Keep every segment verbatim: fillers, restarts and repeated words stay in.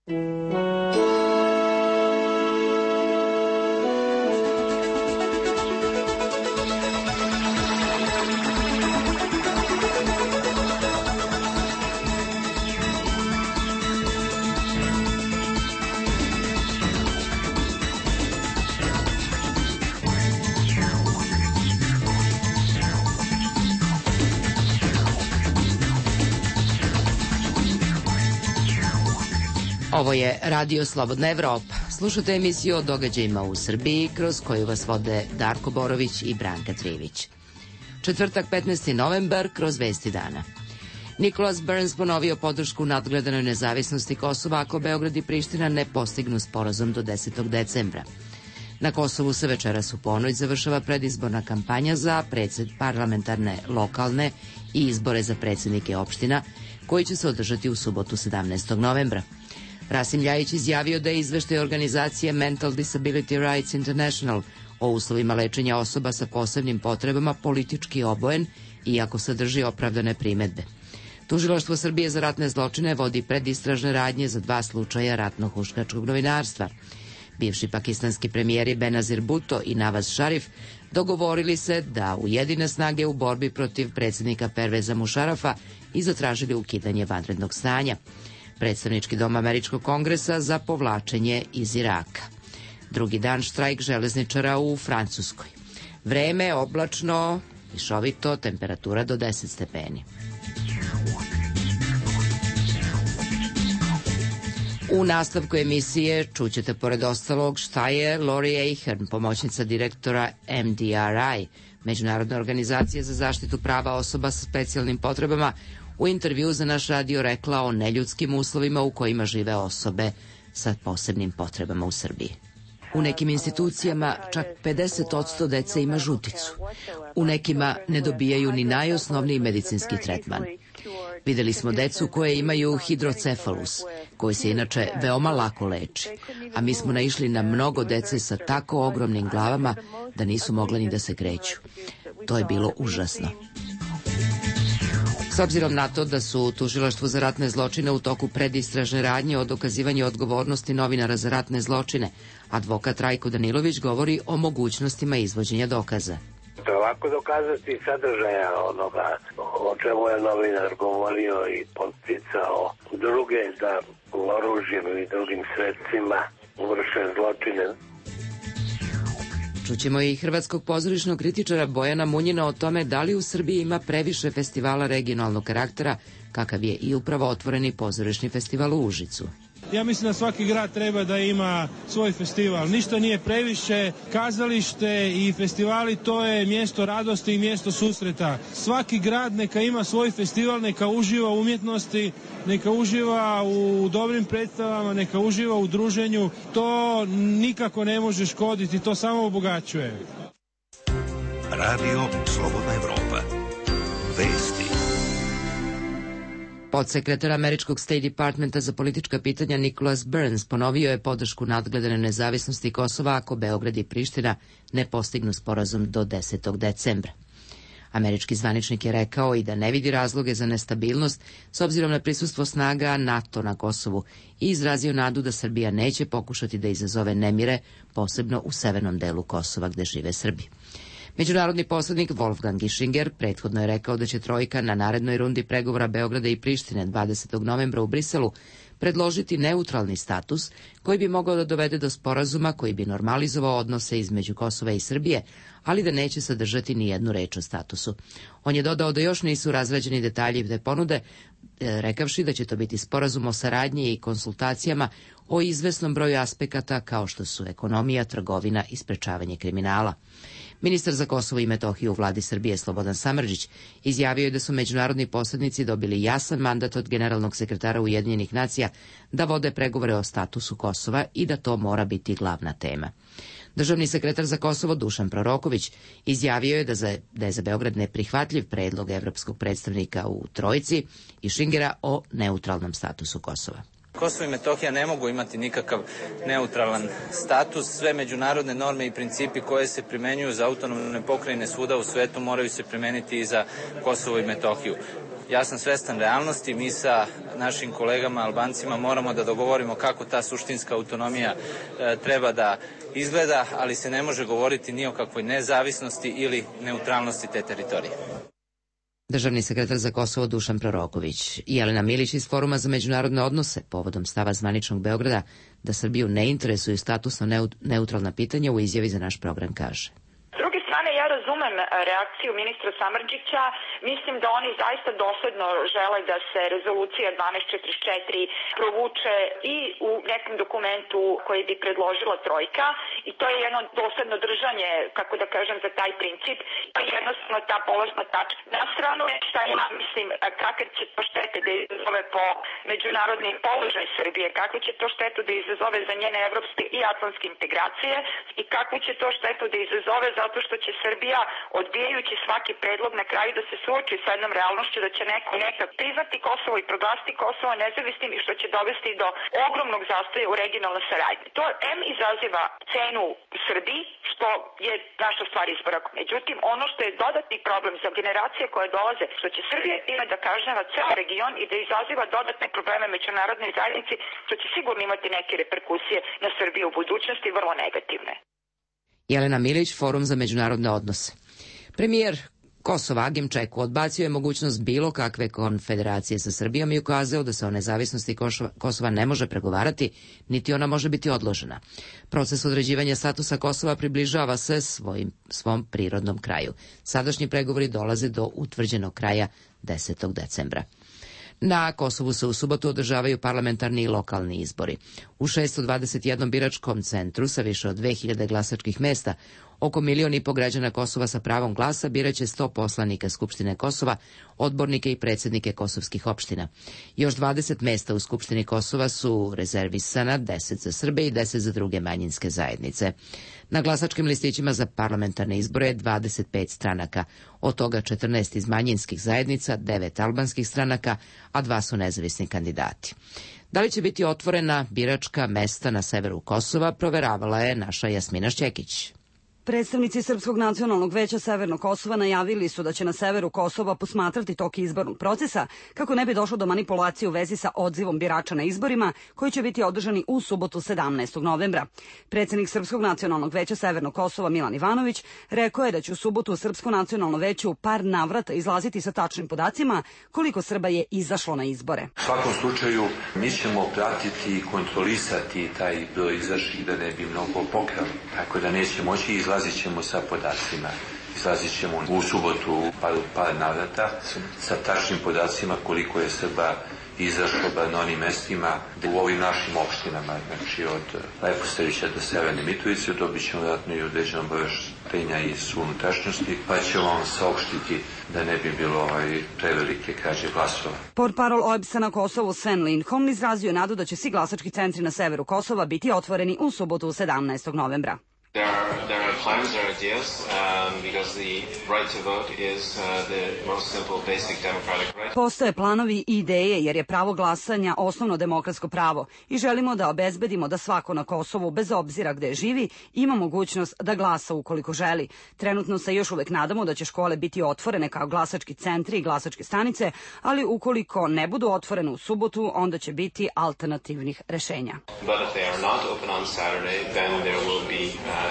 Ovo je Radio Slobodna Evropa. Slušate emisiju o događajima u Srbiji, kroz koju vas vode Darko Borović i Branka Trivić. Četvrtak, petnaesti novembar, kroz Vesti dana. Nicholas Burns ponovio podršku nadgledanoj nezavisnosti Kosova ako Beograd i Priština ne postignu sporazum do desetog decembra. Na Kosovu se večeras u ponoć završava predizborna kampanja za predsed parlamentarne, lokalne i izbore za predsjednike opština, koji će se održati u subotu sedamnaestog novembra. Rasim Ljajić izjavio da je izveštaj organizacije Mental Disability Rights International o uslovima lečenja osoba sa posebnim potrebama politički obojen, iako sadrži opravdane primedbe. Tužilaštvo Srbije za ratne zločine vodi predistražne radnje za dva slučaja ratnog huškačkog novinarstva. Bivši pakistanski premijeri Benazir Bhutto i Nawaz Sharif dogovorili se da ujedine snage u borbi protiv predsjednika Perveza Mušarafa i zatražili ukidanje vanrednog stanja. Predstavnički dom Američkog kongresa za povlačenje iz Iraka. Drugi dan štrajk železničara u Francuskoj. Vreme oblačno, mišovito, temperatura do deset stepeni. U nastavku emisije čućete pored ostalog šta je Lori Ahern, pomoćnica direktora M D R I, Međunarodne organizacije za zaštitu prava osoba sa specijalnim potrebama, u intervju za naš radio rekla o neljudskim uslovima u kojima žive osobe sa posebnim potrebama u Srbiji. U nekim institucijama čak pedeset posto dece ima žuticu. U nekima ne dobijaju ni najosnovniji medicinski tretman. Videli smo decu koje imaju hidrocefalus, koji se inače veoma lako leči, a mi smo naišli na mnogo dece sa tako ogromnim glavama da nisu mogle ni da se kreću. To je bilo užasno. S obzirom na to da su u Tužilaštvu za ratne zločine u toku predistražne radnje o dokazivanju odgovornosti novinara za ratne zločine, advokat Rajko Danilović govori o mogućnostima izvođenja dokaza. To je lako dokazati sadržaja onoga o čemu je novinar govorio i podsticao druge da oružjem ili drugim sredstvima vrše zločine. Čućemo i hrvatskog pozorišnog kritičara Bojana Munjina o tome da li u Srbiji ima previše festivala regionalnog karaktera, kakav je i upravo otvoreni pozorišni festival u Užicu. Ja mislim da svaki grad treba da ima svoj festival. Ništa nije previše. Kazalište i festivali to je mjesto radosti i mjesto susreta. Svaki grad neka ima svoj festival, neka uživa u umjetnosti, neka uživa u dobrim predstavama, neka uživa u druženju. To nikako ne može škoditi, to samo obogaćuje. Radio Slobodna Evropa. Vesti. Podsekretar američkog State Departmenta za politička pitanja Nicholas Burns ponovio je podršku nadgledane nezavisnosti Kosova ako Beograd i Priština ne postignu sporazum do desetog decembra. Američki zvaničnik je rekao i da ne vidi razloge za nestabilnost s obzirom na prisustvo snaga NATO na Kosovu i izrazio nadu da Srbija neće pokušati da izazove nemire, posebno u severnom delu Kosova gde žive Srbi. Međunarodni posrednik Wolfgang Ischinger prethodno je rekao da će trojka na narednoj rundi pregovora Beograda i Prištine dvadesetog novembra u Briselu predložiti neutralni status koji bi mogao da dovede do sporazuma koji bi normalizovao odnose između Kosova i Srbije, ali da neće sadržati ni jednu reč o statusu. On je dodao da još nisu razrađeni detalji te ponude, rekavši da će to biti sporazum o saradnji i konsultacijama o izvesnom broju aspekata kao što su ekonomija, trgovina i sprečavanje kriminala. Ministar za Kosovo i Metohiju u vladi Srbije Slobodan Samardžić izjavio je da su međunarodni posrednici dobili jasan mandat od generalnog sekretara Ujedinjenih nacija da vode pregovore o statusu Kosova i da to mora biti glavna tema. Državni sekretar za Kosovo Dušan Proroković izjavio je da, za, da je za Beograd neprihvatljiv predlog evropskog predstavnika u Trojici i Šingera o neutralnom statusu Kosova. Kosovo i Metohija ne mogu imati nikakav neutralan status. Sve međunarodne norme i principi koje se primenjuju za autonomne pokrajine svuda u svetu moraju se primeniti i za Kosovo i Metohiju. Ja sam svestan realnosti, mi sa našim kolegama Albancima moramo da dogovorimo kako ta suštinska autonomija e, treba da izgleda, ali se ne može govoriti ni o kakvoj nezavisnosti ili neutralnosti te teritorije. Državni sekretar za Kosovo Dušan Proroković. Jelena Milić iz Foruma za međunarodne odnose povodom stava zvaničnog Beograda da Srbiju ne interesuju statusno neutralna pitanja u izjavi za naš program kaže. Ja razumem reakciju ministra Samardžića, mislim da oni zaista dosledno žele da se rezolucija dvanaest četrdeset četiri provuče i u nekom dokumentu koji bi predložila Trojka i to je jedno dosledno držanje, kako da kažem, za taj princip, pa jednostavno ta polazna tačka. Na stranu je šta ja mislim, kakve će to štete da izazove po međunarodni položaj Srbije, kakve će to štetu da izazove za njene evropske i atlantske integracije i kakvu će to štetu da izazove zato što će Srbija, odbijajući svaki predlog na kraju da se suoči sa jednom realnošću da će neko nekad priznati Kosovo i proglasiti Kosovo nezavisnim i što će dovesti do ogromnog zastoja u regionalnoj saradnji. To em izaziva cenu u Srbiji, što je naša stvar izbora. Međutim, ono što je dodatni problem za generacije koje dolaze, što će Srbija ima da kažnjava ceo region i da izaziva dodatne probleme međunarodnoj zajednici, što će sigurno imati neke reperkusije na Srbiju u budućnosti, vrlo negativne. Jelena Milić, Forum za međunarodne odnose. Premijer Kosova Agim Čeku odbacio je mogućnost bilo kakve konfederacije sa Srbijom i ukazao da se o nezavisnosti Kosova ne može pregovarati, niti ona može biti odložena. Proces određivanja statusa Kosova približava se svojim, svom prirodnom kraju. Sadašnji pregovori dolaze do utvrđenog kraja desetog decembra. Na Kosovu se u subotu održavaju parlamentarni i lokalni izbori. U šesto dvadeset jednom biračkom centru sa više od dve hiljade glasačkih mesta, oko milion i po građana Kosova sa pravom glasa biraće sto poslanika Skupštine Kosova, odbornike i predsjednike kosovskih opština. Još dvadeset mesta u Skupštini Kosova su rezervisana, deset za Srbe i deset za druge manjinske zajednice. Na glasačkim listićima za parlamentarne izbore je dvadeset pet stranaka, od toga četrnaest iz manjinskih zajednica, devet albanskih stranaka, a dva su nezavisni kandidati. Da li će biti otvorena biračka mesta na severu Kosova, proveravala je naša Jasmina Šćekić. Predstavnici Srpskog nacionalnog veća Severnog Kosova najavili su da će na severu Kosova posmatrati tok izbornog procesa kako ne bi došlo do manipulacije u vezi sa odzivom birača na izborima koji će biti održani u subotu sedamnaestog novembra. Predsednik Srpskog nacionalnog veća Severnog Kosova Milan Ivanović rekao je da će u subotu Srpsko nacionalno veće u par navrata izlaziti sa tačnim podacima koliko Srba je izašlo na izbore. U svakom slučaju mi ćemo pratiti i kontrolisati taj broj izašlih da ne bi mnogo pokrali, tako da neće moći izlaziti. Izlazit ćemo sa podacima, izlazit ćemo u subotu par, par navrata sa tačnim podacima koliko je Srba izašlo bar na onim mestima u ovim našim opštinama, znači od Lepostavića do Severne Mitrovice, dobit ćemo vjerojatno i određeno obaveštenja iz unutrašnjosti, pa ćemo vam saopštiti da ne bi bilo ovaj prevelike krađe glasova. Portparol O E B S-a na Kosovu Sven Lindholm izrazio nadu da će svi glasački centri na severu Kosova biti otvoreni u subotu sedamnaestog novembra. There are, there are plans, there are ideas, um, because the right to vote is uh, the most simple, basic democratic right. Postoje planovi i ideje jer je pravo glasanja osnovno demokratsko pravo i želimo da obezbedimo da svako na Kosovu, bez obzira gde živi, ima mogućnost da glasa ukoliko želi. Trenutno se još uvek nadamo da će škole biti otvorene kao glasački centri i glasačke stanice, ali ukoliko ne budu otvorene u subotu, onda će biti alternativnih rešenja. But if they are not open on Saturday, then there will be uh,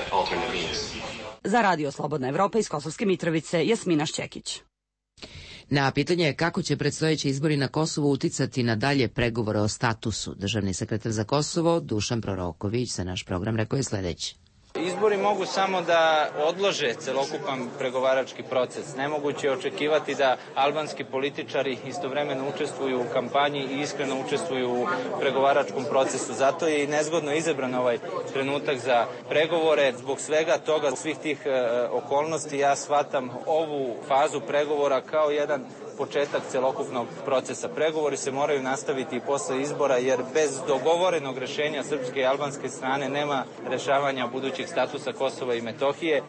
Za Radio Slobodna Evropa iz Kosovske Mitrovice, Jasmina Šćekić. Na pitanje kako će predstojeći izbori na Kosovu uticati na dalje pregovore o statusu, državni sekretar za Kosovo Dušan Proroković za naš program rekao je sledeće. Izbori mogu samo da odlože celokupan pregovarački proces. Nemoguće je očekivati da albanski političari istovremeno učestvuju u kampanji i iskreno učestvuju u pregovaračkom procesu. Zato je i nezgodno izabran ovaj trenutak za pregovore. Zbog svega toga, svih tih e, okolnosti, ja shvatam ovu fazu pregovora kao jedan početak celokupnog procesa. Pregovori se moraju nastaviti i posle izbora, jer bez dogovorenog rešenja srpske i albanske strane nema rešavanja budućeg statusa Kosova i Metohije.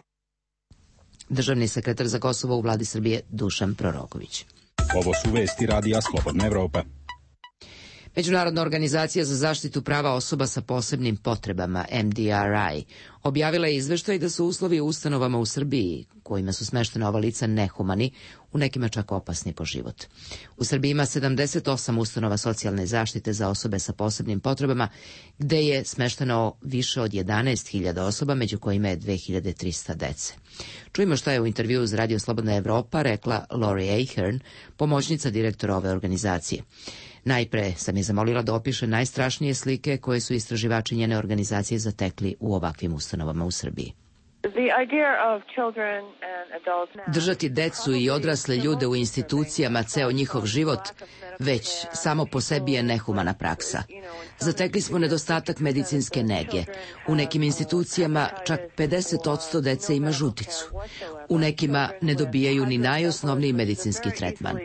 Državni sekretar za Kosovo u vladi Srbije Dušan Proroković. Ovo su vesti Radija Slobodna Evropa. Međunarodna organizacija za zaštitu prava osoba sa posebnim potrebama, M D R I, objavila je izveštaj da su uslovi u ustanovama u Srbiji, kojima su smeštena ova lica, nehumani, u nekima čak opasni po život. U Srbiji ima sedamdeset osam ustanova socijalne zaštite za osobe sa posebnim potrebama, gde je smešteno više od jedanaest hiljada osoba, među kojima je dve hiljade trista dece. Čujemo šta je u intervjuu uz Radio Slobodna Evropa rekla Lori Ahern, pomoćnica direktora ove organizacije. Najpre sam je zamolila da opiše najstrašnije slike koje su istraživači njene organizacije zatekli u ovakvim ustanovama u Srbiji. Držati decu i odrasle ljude u institucijama ceo njihov život već samo po sebi je nehumana praksa. Zatekli smo nedostatak medicinske nege. U nekim institucijama čak pedeset posto dece ima žuticu. U nekima ne dobijaju ni najosnovniji medicinski tretman.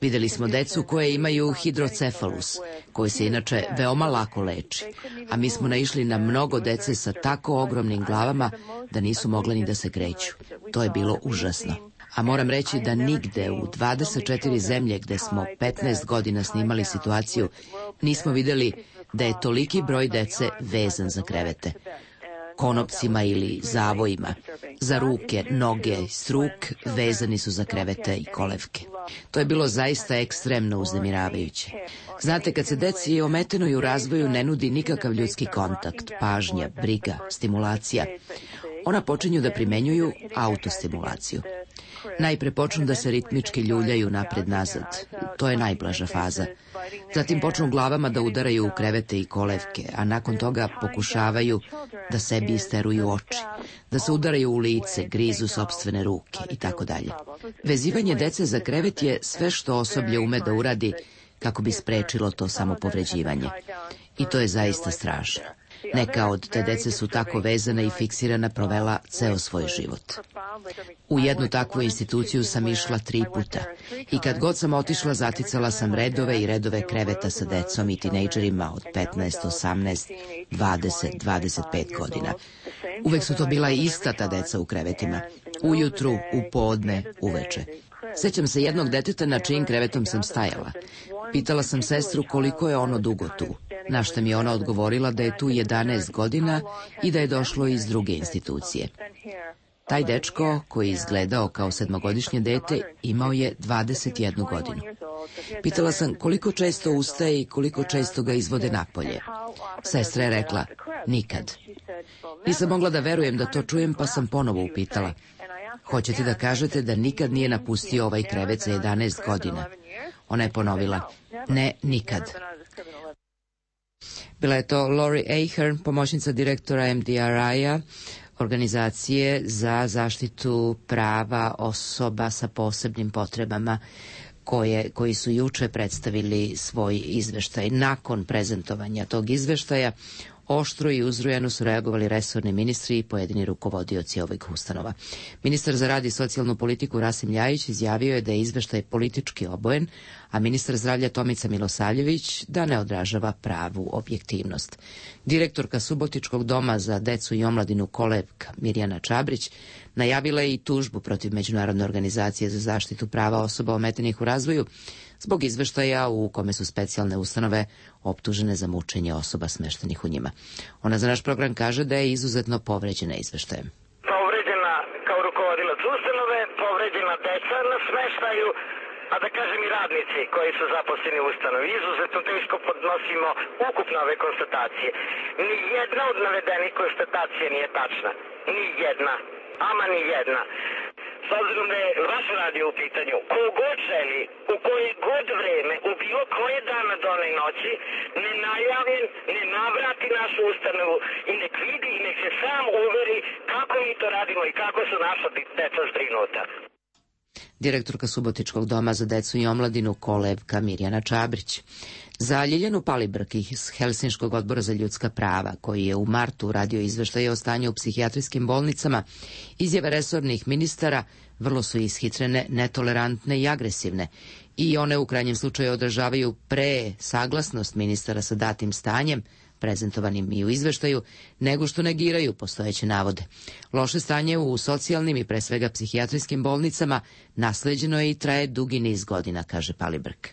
Videli smo decu koje imaju hidrocefalus, koji se inače veoma lako leči, a mi smo naišli na mnogo dece sa tako ogromnim glavama da nisu mogle ni da se kreću. To je bilo užasno. A moram reći da nigde u dvadeset četiri zemlje gde smo petnaest godina snimali situaciju nismo videli da je toliki broj dece vezan za krevete. Konopcima ili zavojima. Za ruke, noge, struk vezani su za krevete i kolevke. To je bilo zaista ekstremno uznemiravajuće. Znate, kad se deci ometenoj u razvoju ne nudi nikakav ljudski kontakt, pažnja, briga, stimulacija, ona počinju da primenjuju autostimulaciju. Najpre počnu da se ritmički ljuljaju napred-nazad. To je najblaža faza. Zatim počnu glavama da udaraju u krevete i kolevke, a nakon toga pokušavaju da sebi isteruju oči, da se udaraju u lice, grizu sopstvene ruke i tako dalje. Vezivanje dece za krevet je sve što osoblje ume da uradi kako bi sprečilo to samopovređivanje. I to je zaista strašno. Neka od te dece su tako vezana i fiksirana provela ceo svoj život. U jednu takvu instituciju sam išla tri puta i kad god sam otišla zaticala sam redove i redove kreveta sa decom i tinejdžerima od petnaest, osamnaest, dvadeset, dvadeset pet godina. Uvek su to bila ista ta deca u krevetima. Ujutru, u podne, uveče. Sećam se jednog deteta na čijim krevetom sam stajala. Pitala sam sestru koliko je ono dugo tu, na što mi je ona odgovorila da je tu jedanaest godina i da je došlo iz druge institucije. Taj dečko, koji je izgledao kao sedmogodišnje dete, imao je dvadeset jednu godinu. Pitala sam koliko često ustaje i koliko često ga izvode napolje. Sestra je rekla, nikad. Nisam mogla da verujem da to čujem, pa sam ponovo upitala. Hoćete da kažete da nikad nije napustio ovaj krevet za jedanaest godina? Ona je ponovila, ne, nikad. Bila je to Lori Ahern, pomoćnica direktora M D R I-a, organizacije za zaštitu prava osoba sa posebnim potrebama, koje, koji su juče predstavili svoj izveštaj. Nakon prezentovanja tog izveštaja, oštro i uzrujano su reagovali resorni ministri i pojedini rukovodioci ovih ustanova. Ministar za rad i socijalnu politiku Rasim Ljajić izjavio je da je izveštaj politički obojen, a ministar zdravlja Tomica Milosavljević da ne odražava pravu objektivnost. Direktorka Subotičkog doma za decu i omladinu Kolevka Mirjana Čabrić najavila je i tužbu protiv Međunarodne organizacije za zaštitu prava osoba ometenih u razvoju zbog izveštaja u kome su specijalne ustanove optužene za mučenje osoba smeštenih u njima. Ona za naš program kaže da je izuzetno povređena izveštajem. Povređena kao rukovodilac ustanove, povređena deca na smeštaju, a da kažem i radnici koji su zaposleni u ustanovi. Izuzetno teško podnosimo ukupno ove konstatacije. Ni jedna od navedenih konstatacija nije tačna. Ni jedna. Ama ni jedna. S obzirom da je vaš radio u pitanju, ko god želi, u koje god vreme, u bilo koje dana done noći, ne najavljen, ne navrati našu ustanovu i nek vidi i nek se sam uveri kako mi to radimo i kako su naša deca zbrinuta. Direktorka Subotičkog doma za decu i omladinu Kolevka Mirjana Čabrić. Za Ljiljanu Palibrk iz Helsinškog odbora za ljudska prava, koji je u martu uradio izveštaje o stanju u psihijatrijskim bolnicama, izjave resornih ministara vrlo su ishitrene, netolerantne i agresivne i one u krajnjem slučaju odražavaju pre saglasnost ministara sa datim stanjem, prezentovanim i u izveštaju, nego što negiraju postojeće navode. Loše stanje u socijalnim i pre svega psihijatrijskim bolnicama nasleđeno je i traje dugi niz godina, kaže Palibrk.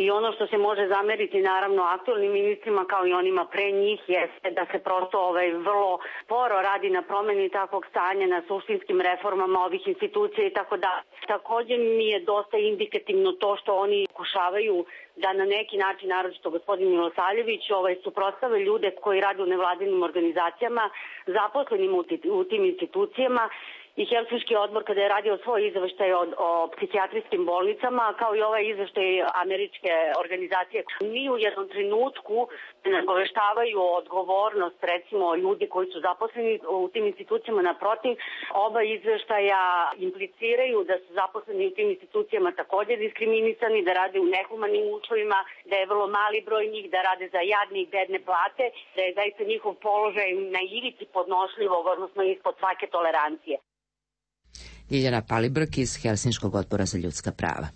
I ono što se može zameriti naravno aktualnim ministrima kao i onima pre njih jeste da se prosto ovaj, vrlo sporo radi na promeni takvog stanja, na suštinskim reformama ovih institucija i tako da. Takođe mi je dosta indikativno to što oni pokušavaju da na neki način, naročito gospodin Milosavljević, ovaj, suprotstave ljude koji rade u nevladinim organizacijama, zaposlenim u, u tim institucijama. I Helsinški odbor kada je radio svoj izveštaj o, o psihijatrijskim bolnicama, kao i ovaj izveštaj američke organizacije, ni u jednom trenutku ne nagoveštavaju odgovornost, recimo, ljudi koji su zaposleni u tim institucijama. Naprotiv, oba izveštaja impliciraju da su zaposleni u tim institucijama također diskriminisani, da rade u nehumanim uslovima, da je vrlo mali broj njih, da rade za jadne i bedne plate, da je zaista njihov položaj na ivici podnošljivog, odnosno ispod svake tolerancije. Ljiljana Palibrk iz Helsinškog odbora za ljudska prava.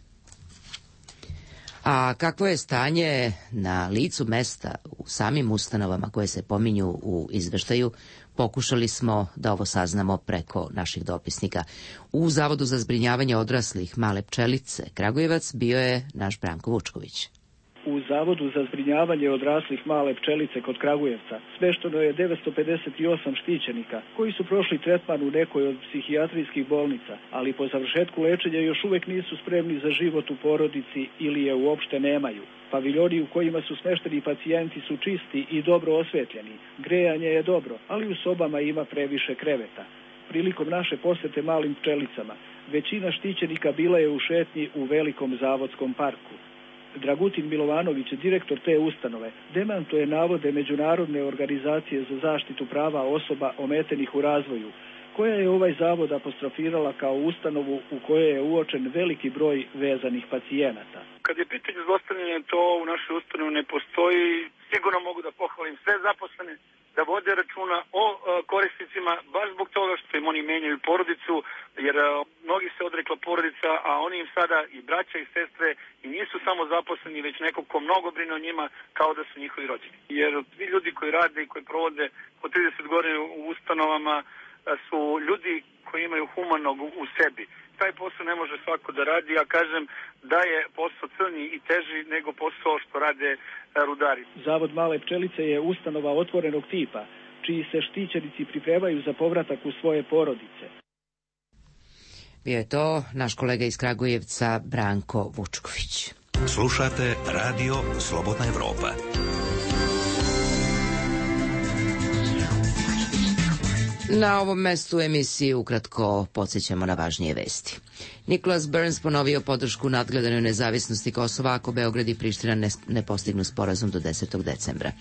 A kakvo je stanje na licu mesta u samim ustanovama koje se pominju u izveštaju, pokušali smo da ovo saznamo preko naših dopisnika. U Zavodu za zbrinjavanje odraslih Male Pčelice Kragujevac bio je naš Branko Vučković. U Zavodu za zbrinjavanje odraslih Male Pčelice kod Kragujevca smešteno je devetsto pedeset osam štićenika koji su prošli tretman u nekoj od psihijatrijskih bolnica, ali po završetku lečenja još uvek nisu spremni za život u porodici ili je uopšte nemaju. Paviljoni u kojima su smešteni pacijenti su čisti i dobro osvetljeni. Grejanje je dobro, ali u sobama ima previše kreveta. Prilikom naše posete Malim Pčelicama, većina štićenika bila je u šetnji u velikom zavodskom parku. Dragutin Milovanović, direktor te ustanove, demantuje navode Međunarodne organizacije za zaštitu prava osoba ometenih u razvoju, koja je ovaj zavod apostrofirala kao ustanovu u kojoj je uočen veliki broj vezanih pacijenata. Kad je pitanje zlostavljanja, to u našoj ustanovi ne postoji. Sigurno mogu da pohvalim sve zaposlene da vode računa o korisnicima, baš zbog toga što im oni menjaju porodicu, jer mnogi se odrekla porodica, a oni im sada i braća i sestre i nisu samo zaposleni, već nekog ko mnogo brine o njima kao da su njihovi rođeni. Jer svi ljudi koji rade i koji provode po trideset godina u ustanovama su ljudi koji imaju humanog u sebi. Taj posao ne može svako da radi, ja kažem da je posao crnji i teži nego posao što rade rudari. Zavod Male Pčelice je ustanova otvorenog tipa, čiji se štićenici pripremaju za povratak u svoje porodice. Bio je to naš kolega iz Kragujevca Branko Vučković. Slušate Radio Slobodna Evropa. Na ovom mestu emisije ukratko podsjećamo na važnije vesti. Nicholas Burns ponovio podršku nadgledanoj nezavisnosti Kosova ako Beograd i Priština ne, ne postignu sporazum do desetog decembra.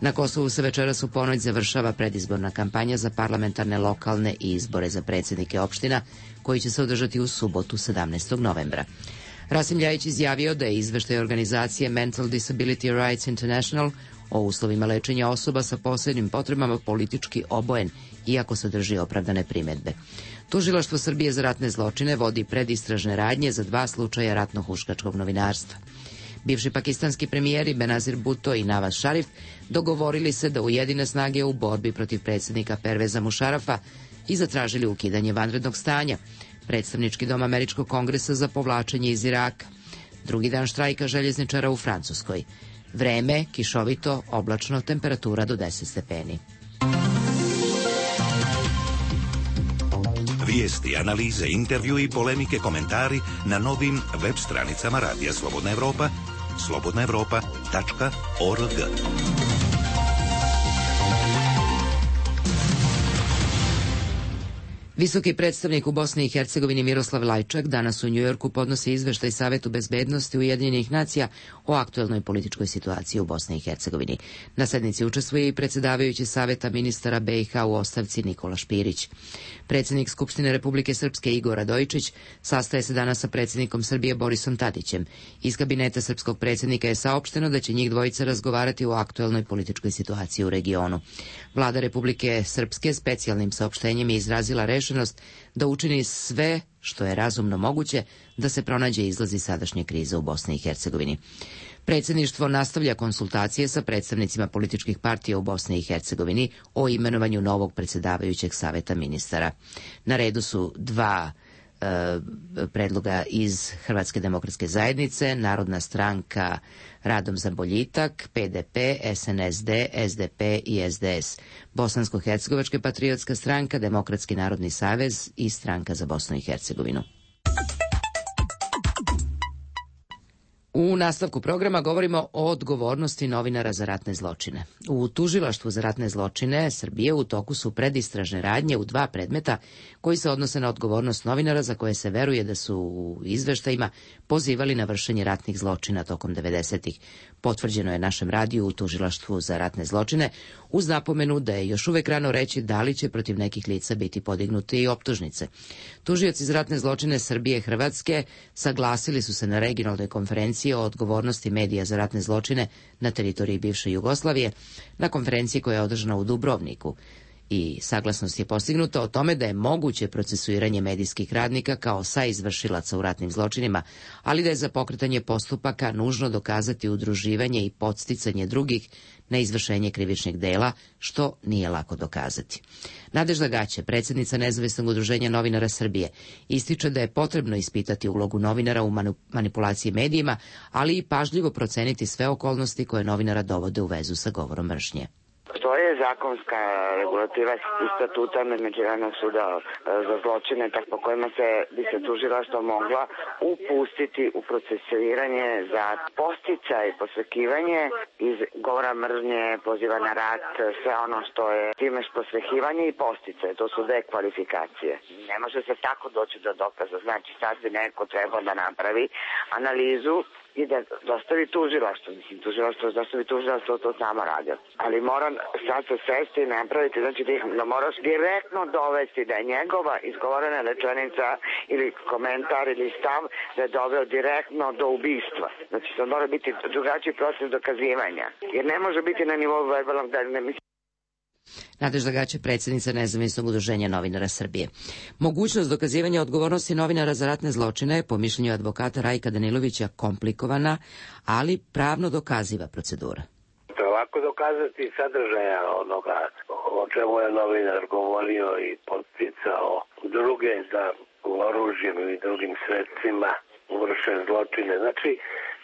Na Kosovu se večeras u ponoć završava predizborna kampanja za parlamentarne, lokalne i izbore za predsjednike opština, koji će se održati u subotu sedamnaestog novembra. Rasim Ljajić izjavio da je izveštaj organizacije Mental Disability Rights International o uslovima lečenja osoba sa posebnim potrebama politički obojen, iako sadrži opravdane primedbe. Tužilaštvo Srbije za ratne zločine vodi predistražne radnje za dva slučaja ratno-huškačkog novinarstva. Bivši pakistanski premijeri Benazir Bhutto i Nawaz Sharif dogovorili se da ujedine snage u borbi protiv predsjednika Perveza Mušarafa i zatražili ukidanje vanrednog stanja. Predstavnički dom Američkog kongresa za povlačenje iz Iraka. Drugi dan štrajka željezničara u Francuskoj. Vreme, kišovito, oblačno, temperatura do deset stepeni. Vijesti, analize, intervju i polemike, komentari na novim web stranicama Radija Slobodna Evropa, slobodna evropa tačka org. Visoki predstavnik u Bosni i Hercegovini Miroslav Lajčak danas u Njujorku podnosi izveštaj Savetu bezbednosti Ujedinjenih nacija o aktuelnoj političkoj situaciji u Bosni i Hercegovini. Na sednici učestvuje i predsjedavajući Saveta ministara B i H u ostavci Nikola Špirić. Predsjednik Skupštine Republike Srpske Igor Radojičić sastaje se danas sa predsjednikom Srbije Borisom Tadićem. Iz kabineta srpskog predsjednika je saopšteno da će njih dvojica razgovarati o aktuelnoj političkoj situaciji u regionu. Vlada Republike Srpske specijalnim saopštenjem je izrazila rešenost da učini sve što je razumno moguće da se pronađe izlazi sadašnje krize u Bosni i Hercegovini. Predsjedništvo nastavlja konsultacije sa predstavnicima političkih partija u Bosni i Hercegovini o imenovanju novog predsjedavajućeg Saveta ministara. Na redu su dva predloga iz Hrvatske demokratske zajednice, Narodna stranka Radom za boljitak, P D P, S N S D, S D P i S D S, Bosansko-hercegovačka patriotska stranka, Demokratski narodni savez i Stranka za Bosnu i Hercegovinu. U nastavku programa govorimo o odgovornosti novinara za ratne zločine. U Tužilaštvu za ratne zločine Srbije u toku su predistražne radnje u dva predmeta koji se odnose na odgovornost novinara za koje se veruje da su u izveštajima pozivali na vršenje ratnih zločina tokom devedesetih. Potvrđeno je našem radiju u Tužilaštvu za ratne zločine uz napomenu da je još uvek rano reći da li će protiv nekih lica biti podignute i optužnice. Tužioci za ratne zločine Srbije i Hrvatske saglasili su se na regionalnoj konferenciji o odgovornosti medija za ratne zločine na teritoriji bivše Jugoslavije, na konferenciji koja je održana u Dubrovniku. I saglasnost je postignuta o tome da je moguće procesuiranje medijskih radnika kao saizvršilaca u ratnim zločinima, ali da je za pokretanje postupaka nužno dokazati udruživanje i podsticanje drugih na izvršenje krivičnih dela, što nije lako dokazati. Nadežda Gaće, predsjednica Nezavisnog udruženja novinara Srbije, ističe da je potrebno ispitati ulogu novinara u manipulaciji medijima, ali i pažljivo proceniti sve okolnosti koje novinara dovode u vezu sa govorom mržnje. Postoje zakonska regulativa iz statuta Međunarodnog suda za zločine, tako po kojima se bi se tužilaštvo mogla upustiti u procesuiranje za podsticaj, posvećivanje iz govora mržnje, poziva na rat, sve ono što je time posvećivanje i podsticaj, to su dve kvalifikacije. Ne može se tako doći do dokaza, znači sad bi neko trebao da napravi analizu i da dostavi tužilaštvo. Mislim, tužilaštvo, dostavi tužilaštvo, to samo radio. Ali moram sad se sesti i napraviti, znači da moraš direktno dovesti da je njegova izgovorena rečenica ili komentar ili stav da je doveo direktno do ubistva. Znači, to mora biti drugačiji proces dokazivanja. Jer ne može biti na nivou verbalnog da ne mislim. Nadežda Gaće, predsjednica Nezavisnog udruženja novinara Srbije. Mogućnost dokazivanja odgovornosti novinara za ratne zločine je, po mišljenju advokata Rajka Danilovića, komplikovana, ali pravno dokaziva procedura. Lako dokazati sadržaja onoga o čemu je novinar govorio i podsticao druge da oružjem ili drugim sredstvima vrše zločine. Znači,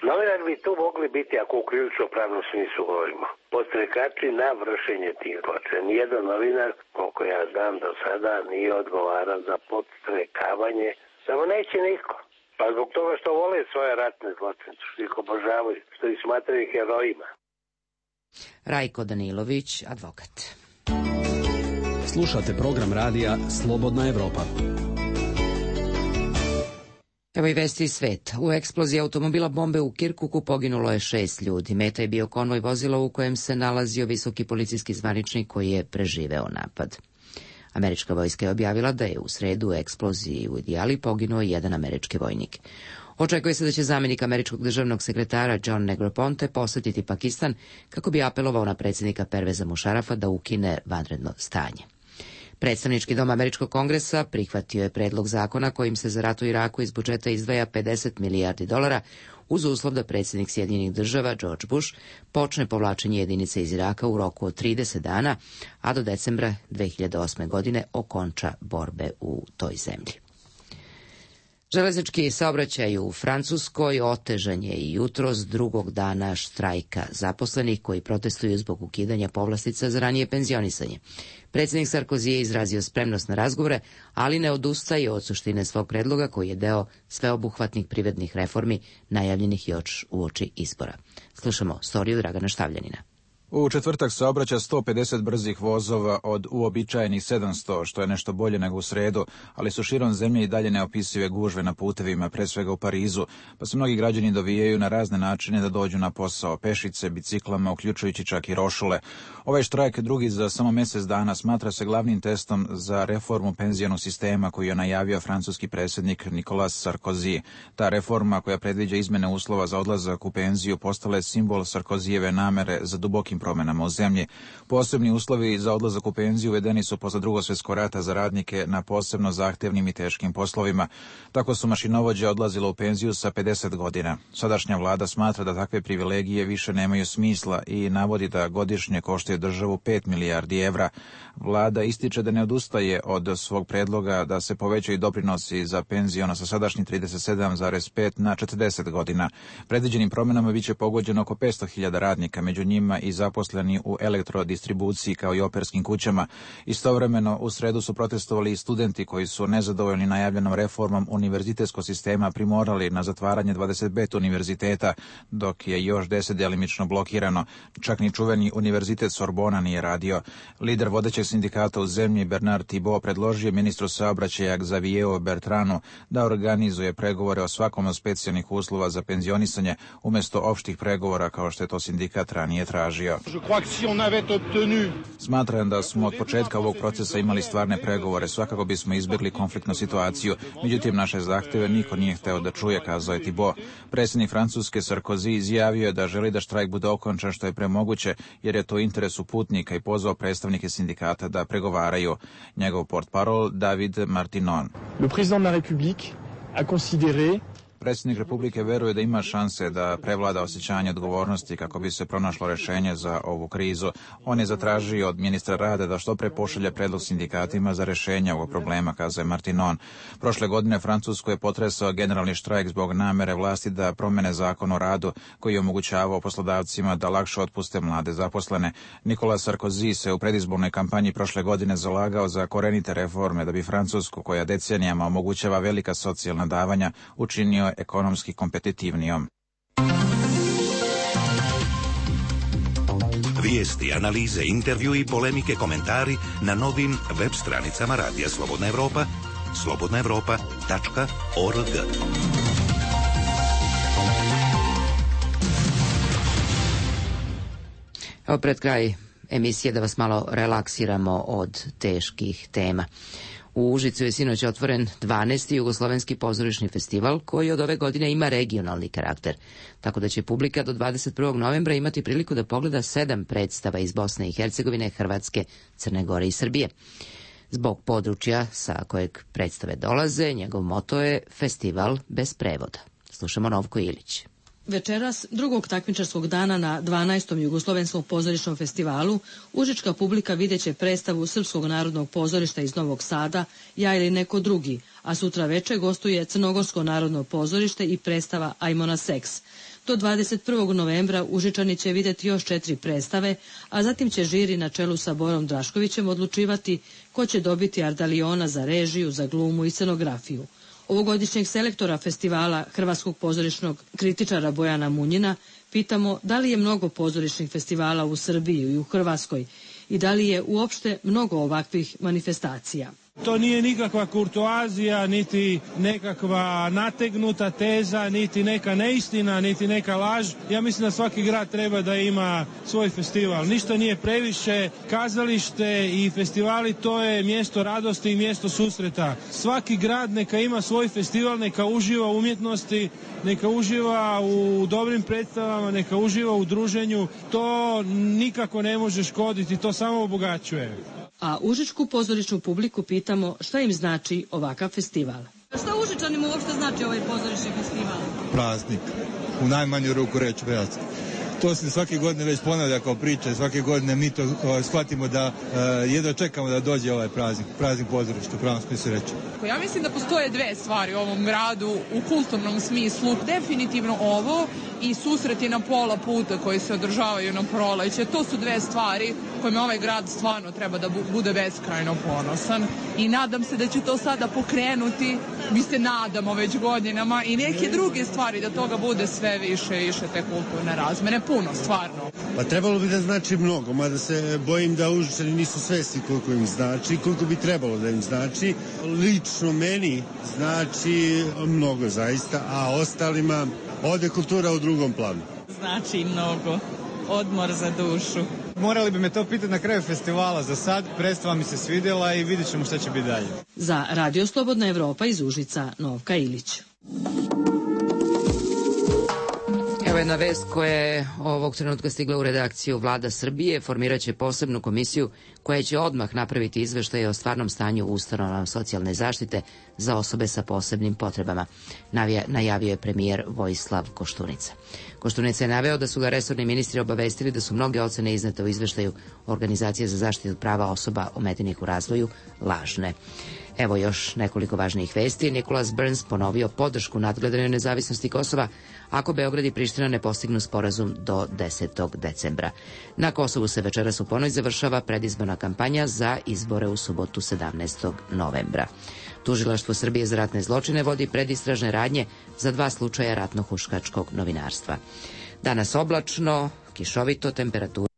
novinar bi tu mogli biti, ako u krivično pravnom smislu govorimo, podstrekači na vršenje tih zločina. Nijedan novinar, koliko ja znam do sada, nije odgovaran za podstrekavanje, samo neće niko. Pa zbog toga što vole svoje ratne zločine, što ih obožavaju, što ih smatraju herojima. Rajko Danilović, advokat. Slušate program radija Slobodna Evropa. Evo i vesti iz sveta. U eksploziji automobila bombe u Kirkuku poginulo je šest ljudi. Meta je bio konvoj vozila u kojem se nalazio visoki policijski zvaničnik koji je preživeo napad. Američka vojska je objavila da je u sredu u eksploziji u Idijali poginuo jedan američki vojnik. Očekuje se da će zamjenik američkog državnog sekretara John Negroponte posetiti Pakistan kako bi apelovao na predsjednika Perveza Mušarafa da ukine vanredno stanje. Predstavnički dom Američkog kongresa prihvatio je predlog zakona kojim se za rat u Iraku iz budžeta izdvaja pedeset milijardi dolara uz uslov da predsjednik Sjedinjenih država George Bush počne povlačenje jedinice iz Iraka u roku od trideset dana, a do decembra dve hiljade osme. godine okonča borbe u toj zemlji. Železnički saobraćaj u Francuskoj otežan je i jutros drugog dana štrajka zaposlenih koji protestuju zbog ukidanja povlastica za ranije penzionisanje. Predsjednik Sarkozy je izrazio spremnost na razgovore, ali ne odustaje od suštine svog predloga koji je deo sveobuhvatnih privrednih reformi najavljenih još uoči izbora. Slušamo storiju Dragana Štavljanina. U četvrtak saobraća sto pedeset brzih vozova od uobičajenih sedamsto, što je nešto bolje nego u sredu, ali su širom zemlje i dalje neopisive gužve na putevima, pre svega u Parizu, pa se mnogi građani dovijaju na razne načine da dođu na posao, pešice, biciklama, uključujući čak i rošule. Ovaj štrajk, drugi za samo mjesec dana, smatra se glavnim testom za reformu penzionog sistema koju je najavio francuski predsjednik Nicolas Sarkozy. Ta reforma, koja predviđa izmene uslova za odlazak u penziju, postala je simbol Sarkozyjeve namere za dubokim promenama u zemlji. Posebni uslovi za odlazak u penziju uvedeni su posle Drugog svjetskog rata za radnike na posebno zahtevnim i teškim poslovima. Tako su mašinovođe odlazile u penziju sa pedeset godina. Sadašnja vlada smatra da takve privilegije više nemaju smisla i navodi da godišnje koštaju državu pet milijardi evra. Vlada ističe da ne odustaje od svog predloga da se povećaju doprinosi za penziono sa sadašnjih trideset sedam zarez pet na četrdeset godina. Predviđenim promenama biće pogođeno oko petsto hiljada radnika, među njima i zaposleni u elektrodistribuciji kao i operskim kućama. Istovremeno u sredu su protestovali i studenti koji su nezadovoljni najavljenom reformom univerzitetskog sistema primorali na zatvaranje dvadeset pet univerziteta, dok je još deset delimično blokirano. Čak ni čuveni univerzitet Sorbona nije radio. Lider vodećeg sindikata u zemlji Bernard Thibault predložio ministru saobraćaja Xavieru Bertranu da organizuje pregovore o svakom od specijalnih uslova za penzionisanje umjesto opštih pregovora kao što je to sindikat ranije tražio. Smatram da smo od početka ovog procesa imali stvarne pregovore, svakako bismo izbjegli konfliktnu situaciju, međutim naše zahteve niko nije hteo da čuje, kazao je Thibault. Predsjednik Francuske Sarkozy izjavio je da želi da štrajk bude okončan što je premoguće, jer je to u interesu putnika i pozvao predstavnike sindikata da pregovaraju. Njegov portparol David Martinon. Le président de la République a considéré Predsjednik Republike veruje da ima šanse da prevlada osjećanje odgovornosti kako bi se pronašlo rešenje za ovu krizu. On je zatražio od ministra rada da što pre pošalje predlog sindikatima za rešenje ovog problema, kazao Martinon. Prošle godine Francusku je potresao generalni štrajk zbog namere vlasti da promene zakon o radu koji je omogućavao poslodavcima da lakše otpuste mlade zaposlene. Nicolas Sarkozy se u predizbornoj kampanji prošle godine zalagao za korenite reforme da bi Francusku, koja decenijama omogućava velika socijalna davanja, učinio ekonomski kompetitivnijom. Vijesti, analize, intervju i polemike, komentari na novim web stranicama Radija Slobodna Evropa, slobodna evropa tačka org. Evo pred kraj emisije da vas malo relaksiramo od teških tema. U Užicu je sinoć otvoren dvanaesti jugoslovenski pozorišni festival koji od ove godine ima regionalni karakter, tako da će publika do dvadeset prvog novembra imati priliku da pogleda sedam predstava iz Bosne i Hercegovine, Hrvatske, Crne Gore i Srbije. Zbog područja sa kojeg predstave dolaze, njegov moto je Festival bez prevoda. Slušamo Novko Ilić. Večeras, drugog takmičarskog dana na dvanaestom jugoslovenskom pozorišnom festivalu, užička publika videće predstavu Srpskog narodnog pozorišta iz Novog Sada, Ja ili neko drugi, a sutra veče gostuje Crnogorsko narodno pozorište i predstava Ajmo na seks. Do dvadeset prvog novembra Užičani će vidjeti još četiri predstave, a zatim će žiri na čelu sa Borom Draškovićem odlučivati ko će dobiti Ardaliona za režiju, za glumu i scenografiju. Ovogodišnjeg selektora festivala hrvatskog pozorišnog kritičara Bojana Munjina pitamo da li je mnogo pozorišnih festivala u Srbiji i u Hrvatskoj i da li je uopšte mnogo ovakvih manifestacija. To nije nikakva kurtoazija, niti nekakva nategnuta teza, niti neka neistina, niti neka laž. Ja mislim da svaki grad treba da ima svoj festival. Ništa nije previše. Kazalište i festivali to je mjesto radosti i mjesto susreta. Svaki grad neka ima svoj festival, neka uživa u umjetnosti, neka uživa u dobrim predstavama, neka uživa u druženju. To nikako ne može škoditi, to samo obogaćuje. A užičku pozorišnu publiku pitamo šta im znači ovakav festival. Šta Užičanima uopšte znači ovaj pozorišni festival? Praznik. U najmanju ruku reći praznik. To se svake godine već ponavlja kao priča, svake godine mi to uh, shvatimo da uh, jedno čekamo da dođe ovaj praznik, praznik pozorišta, u pravom smislu reći. Ja mislim da postoje dve stvari u ovom gradu u kulturnom smislu. Definitivno ovo i susreti na pola puta koji se održavaju na proleće. To su dve stvari kojima ovaj grad stvarno treba da bude beskrajno ponosan. I nadam se da će to sada pokrenuti, mi se nadamo već godinama, i neke druge stvari da toga bude sve više i više te kulturne razmene. Puno, stvarno. Pa trebalo bi da znači mnogo, mada se bojim da Užičani nisu svesni koliko im znači, koliko bi trebalo da im znači. Lično meni znači mnogo zaista, a ostalima ode kultura u drugom planu. Znači mnogo. Odmor za dušu. Morali bi me to pitati na kraju festivala. Za sad predstava mi se svidjela i vidjet ćemo šta će biti dalje. Za Radio Slobodna Evropa iz Užica, Novka Ilić. Evo jedna vest koja je ovog trenutka stigla u redakciju. Vlada Srbije formiraće posebnu komisiju koja će odmah napraviti izveštaje o stvarnom stanju u ustanovama socijalne zaštite za osobe sa posebnim potrebama, najavio je premijer Vojislav Koštunica. Koštunica je naveo da su ga resorni ministri obavestili da su mnoge ocene iznete u izveštaju Organizacije za zaštitu prava osoba ometenih u razvoju lažne. Evo još nekoliko važnijih vesti. Nicholas Burns ponovio podršku nadgledanju nezavisnosti Kosova ako Beograd i Priština ne postignu sporazum do desetog decembra. Na Kosovu se večeras u ponoć završava predizborna kampanja za izbore u subotu sedamnaestog novembra. Tužilaštvo Srbije za ratne zločine vodi predistražne radnje za dva slučaja ratno-huškačkog novinarstva. Danas oblačno, kišovito, temperatura